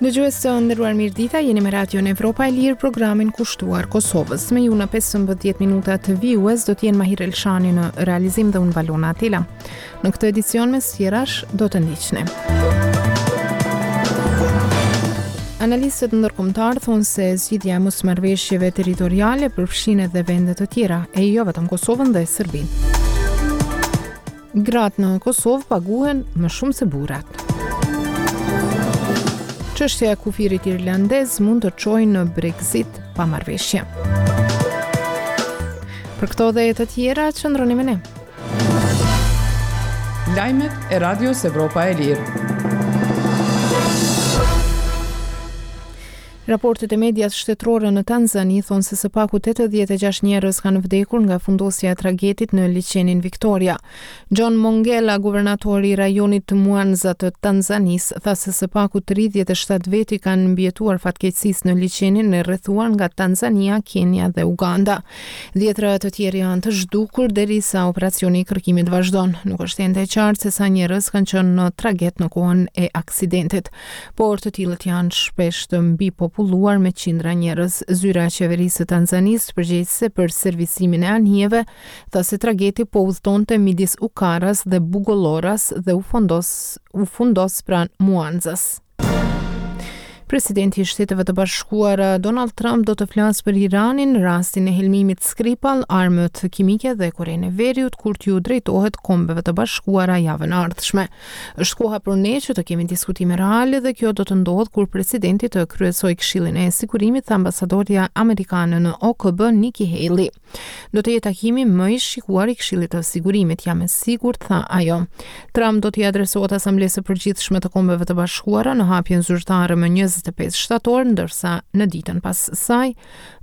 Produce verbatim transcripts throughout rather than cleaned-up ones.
Dëgjues të nderuar, mirëdita, jeni me Radion Evropa e Lirë, programin kushtuar Kosovës. Me ju në pesëmbëdhjetë minuta të vijues do të jenë Mahir Elshani në realizim dhe unë, Valona Atela. Në këtë edicion, mes tjerash, do të ndiqni. Analistët ndërkombëtar thonë se zgjidhja e mosmarrëveshjeve territoriale përfshin edhe vende të tjera, e jo vetëm Kosovën dhe Serbinë. Gratë në Kosovë paguhen më shumë se burrat. Çështja e kufirit irlandez mund të çojë në Brexit pa marrëveshje. Për këto dhe të tjera, qëndroni me ne. Lajmet e Radios Evropa e Lirë. Raportet e medias shtetërore në Tanzani thonë se së paku tetëdhjetë e gjashtë njerëz kanë vdekur nga fundosja e tragetit në liqenin Victoria. John Mongela, guvernatori i rajonit të Mwanza të Tanzanisë, tha se së paku tridhjetë e shtatë veti kanë mbijetuar fatkeqësisë në liqenin e rrethuar nga Tanzania, Kenia dhe Uganda. Dhjetra të tjerë janë të zhdukur derisa operacioni i kërkimit vazhdon. Nuk është ende e qartë se sa njerëz kanë qenë në traget në kohën e aksidentit, por të tillët janë shpesh të mbipopulluar me qindra njerëz. Zyra e qeverisë së Tanzanisë, përgjegjëse për servisimin e anijeve, tha se trageti po udhtonte midis Ukaras dhe Bugoloras dhe u fundos, u fundos pranë Mwanzas. Presidenti i Shteteve të Bashkuara Donald Trump do të flasë për Iranin, rastin e helmimit Skripal, armët kimike dhe Korenë e Veriut kur t'ju drejtohet Kombeve të Bashkuara javën e ardhshme. "Është koha për ne që të kemi diskutime reale dhe kjo do të ndodhë kur presidenti të kryesojë Këshillin e Sigurimit", tha ambasadorja amerikane në O K B Nikki Haley. "Do të jetë takimi më i shikuar i Këshillit të Sigurimit, jam e sigurt", tha ajo. Trump do t'i adresohet Asamblesë së Përgjithshme të Kombeve të Bashkuara në hapjen zyrtare më njëzet e pesë shtator, ndërsa në ditën pas saj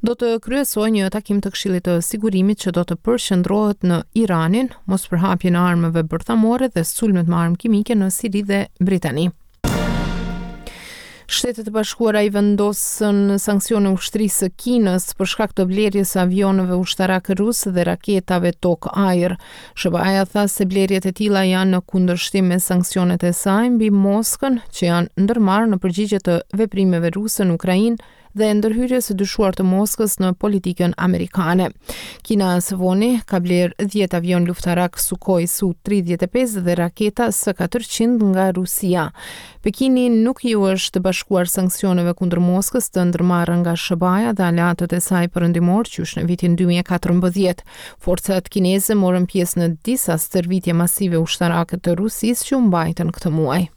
do të kryesojë një takim të Këshillit të Sigurimit që do të përqendrohet në Iranin, mospërhapjen e armëve bërthamore dhe sulmet me armë kimike në Siri dhe Britani. Shtetet e Bashkuara i vendosën sanksione ushtrisë së Kinës për shkak të blerjes së avionëve ushtarak rus dhe raketave tokë-ajër. S H B A-ja tha se blerjet e tilla janë në kundërshtim me sanksionet e saj mbi Moskën, që janë ndërmarrë në përgjigje të veprimeve ruse në Ukrainë dhe ndërhyrjes së dyshuar të Moskës në politikën amerikane. Kina së voni ka bler dhjetë avion luftarak Sukhoi Su tridhjetë e pesë dhe raketa S katërqind nga Rusia. Pekini nuk iu është bashkuar sanksioneve kundër Moskës të ndërmarrë nga S H B A-ja dhe aleatët e saj perëndimor qysh në vitin dy mijë e katërmbëdhjetë. Forcat kineze morën pjesë në disa stërvitje masive ushtarake të Rusisë që u mbajtën këtë muaj.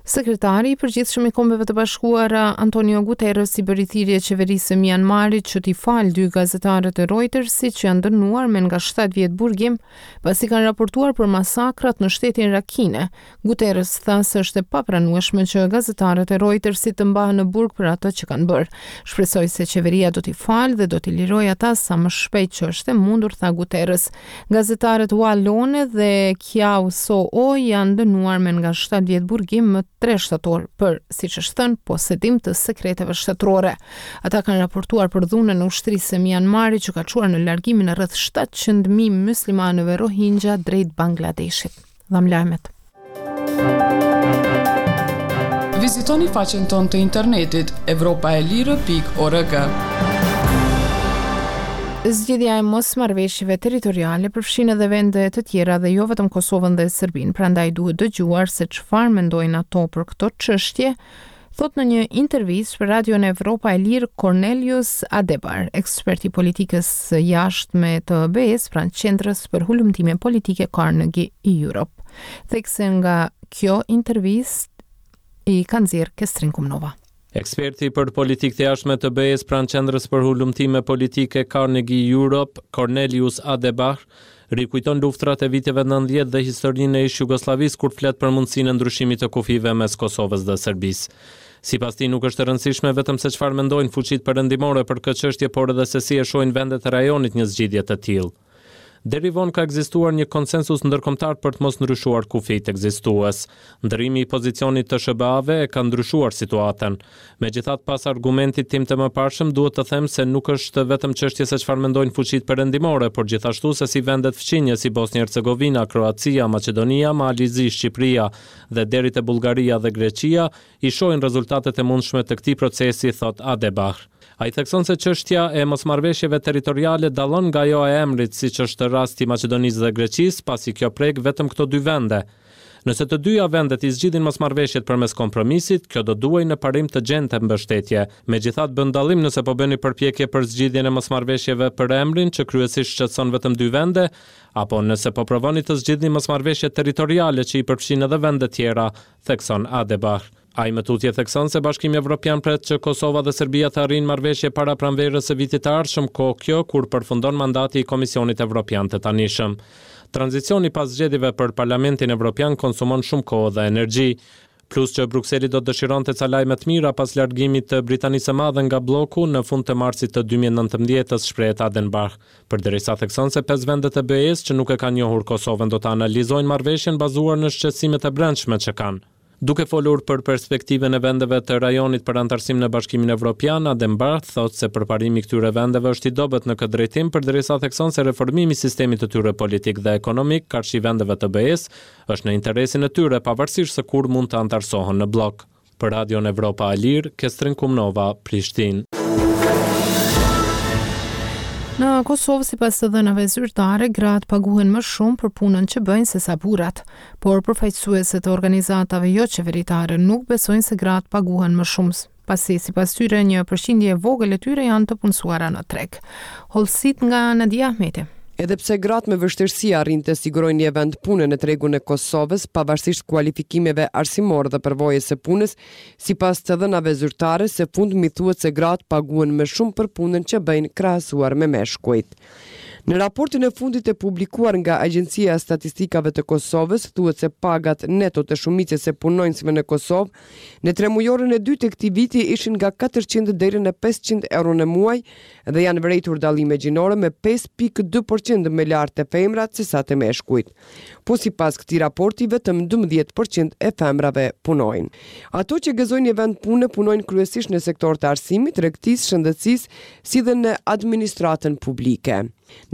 Sekretari i Përgjithshëm i Kombeve të Bashkuara Antonio Guterres i bëri thirrje qeverisë së Myanmarit që t'i falë dy gazetarët e Reutersit që janë dënuar me nga shtatë vjet burgim pasi kanë raportuar për masakrat në shtetin Rakhine. Guterres tha se është e papranueshme që gazetarët e Reutersit të mbahen në burg për atë që kanë bërë. "Shpresoj se qeveria do t'i falë dhe do t'i lirojë ata sa më shpejt që është e mundur", tha Guterres. Gazetarët Wa Lone dhe Kyaw Soe Oo janë dënuar me nga shtatë vjet burgim më tre shtator për, siç është thënë, posedim të sekreteve shtetërore. Ata kanë raportuar për dhunën e ushtrisë së Myanmarit që ka çuar në largimin e rreth shtatëqind mijë muslimanëve Rohingya drejt Bangladeshit. Dham lajmet. Vizitoni faqen tonë të internetit evropaelire pikë org. Zgjidhja e mosmarrëveshjeve territoriale përfshin edhe vende të tjera dhe jo vetëm Kosovën dhe Serbinë, prandaj duhet dëgjuar se çfarë mendojnë ato për këto çështje, thot në një intervistë për Radion Evropa e Lirë Cornelius Adebar, ekspert i politikës së jashtme të B E-s pranë Qendrës për Hulumtime Politike Carnegie Europe. Thekse nga kjo intervistë i ka nxjerr Kestrin Kumnova. Eksperti për politikë të jashtme të B E-s pranë Qendrës për Hulumtime Politike Carnegie Europe, Cornelius Adebar, rikujton luftrat e viteve nëntëdhjetë dhe historinë e ish Jugosllavisë kur flet për mundësinë e ndryshimit të kufijve mes Kosovës dhe Serbisë. Sipas tij, nuk është e rëndësishme vetëm se çfarë mendojnë fuqitë perëndimore për këtë çështje, por edhe se si e shohin vendet e rajonit një zgjidhje të tillë. Deri vonë ka ekzistuar një konsensus ndërkombëtar për të mos ndryshuar kufijtë ekzistues. Ndërrimi i pozicionit të S H B A-ve e ka ndryshuar situatën. Megjithatë, pas argumentit tim të mëparshëm, duhet të them se nuk është vetëm çështje se çfarë mendojnë fuqitë perëndimore, por gjithashtu se si vendet fqinje si Bosnjë Hercegovina, Kroacia, Maqedonia, Mali i Zi, Shqipëria dhe deri te Bullgaria dhe Greqia i shohin rezultatet e mundshme të këtij procesi, thot Adenbach. Ai thekson se çështja e mosmarrëveshjeve territoriale dallon nga ajo e emrit, siç është rasti i Maqedonisë dhe Greqisë, pasi kjo prek vetëm këto dy vende. Nëse të dyja vendet i zgjidhin mosmarrëveshjet përmes kompromisit, kjo do duhej në parim të gjente mbështetje. Megjithatë, bën dallim nëse po bëni përpjekje për zgjidhjen e mosmarrëveshjeve për emrin, që kryesisht shqetëson vetëm dy vende, apo nëse po provoni të zgjidhni mosmarrëveshjet territoriale që i përfshin edhe vende tjera, thekson Adenbach. Ai më tutje thekson se Bashkimi Evropian pret që Kosova dhe Serbia të arrijnë marrëveshje para pranverës së vitit të ardhshëm, kohë kjo kur përfundon mandati i Komisionit Evropian të tanishëm. Tranzicioni pas zgjedhjeve për Parlamentin Evropian konsumon shumë kohë dhe energji. Plus që Brukseli do të dëshironte ca lajme të mira pas largimit të Britanisë së Madhe nga bloku në fund të marsit të dy mijë e nëntëmbëdhjetës, shprehet Adenbach. Përderisa thekson se pesë vendet e B E-s që nuk e kanë njohur Kosovën do të analizojnë marrëveshjen bazuar në shqetësimet e brendshme që kanë. Duke folur për perspektivën e vendeve të rajonit për anëtarësim në Bashkimin Evropian, Adenbach thotë se përparimi i këtyre vendeve është i dobët në këtë drejtim, përderisa thekson se reformimi i sistemit të tyre politik dhe ekonomik karshi vendeve të B E-s është në interesin e tyre, pavarësisht se kur mund të anëtarësohen në bllok. Për Radion Evropa e Lirë, Kestrin Kumnova, Prishtinë. Në Kosovë, sipas të dhënave zyrtare, gratë paguhen më shumë për punën që bëjnë se sa burrat, por përfaqësuesit të organizatave jo qeveritare nuk besojnë se gratë paguhen më shumë, pasi sipas tyre një përqindje e vogël e tyre janë të punësuara në treg. Hollësitë nga Nadia Ahmeti. Edhe pse gratë me vështirësi arrin të sigurojnë një vend pune në tregun e Kosovës, pavarësisht kualifikimeve arsimore dhe përvojës së punës, sipas të dhënave zyrtare, së fundmi thuhet se gratë paguhen më shumë për punën që bëjnë krahasuar me meshkujt. Në raportin e fundit të publikuar nga Agjencia e Statistikave të Kosovës, thuhet se pagat neto të shumicës së punonjësve në Kosovë në tremujorin e dytë të këtij viti ishin nga katërqind deri në pesëqind euro në muaj dhe janë vërejtur dallime gjinore, me pesë pikë dy për qind më lartë të femrat se sa të meshkujt. Po sipas këtij raporti, vetëm dymbëdhjetë për qind e femrave punojnë. Ato që gëzojnë një vend pune punojnë kryesisht në sektor të arsimit, tregtisë, shëndetësisë, si dhe në administratën publike.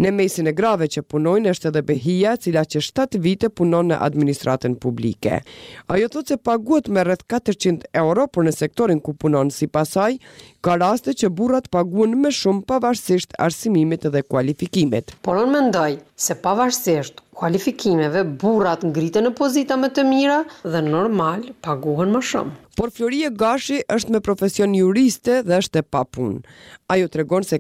Në mesin e grave që punojnë është edhe Behia, cila që shtatë vite punon në administratën publike. Ajo thotë se paguhet me rreth katërqind euro, por në sektorin ku punon, sipas saj, ka raste që burrat paguhen më shumë pavarësisht arsimimit dhe kualifikimit. Por unë mendoj se pavarësisht kualifikimeve, burrat ngriten në pozita më të mira dhe normal paguhen më shumë. Por Florie Gashi është me profesion juriste dhe është e papunë. Ajo tregon se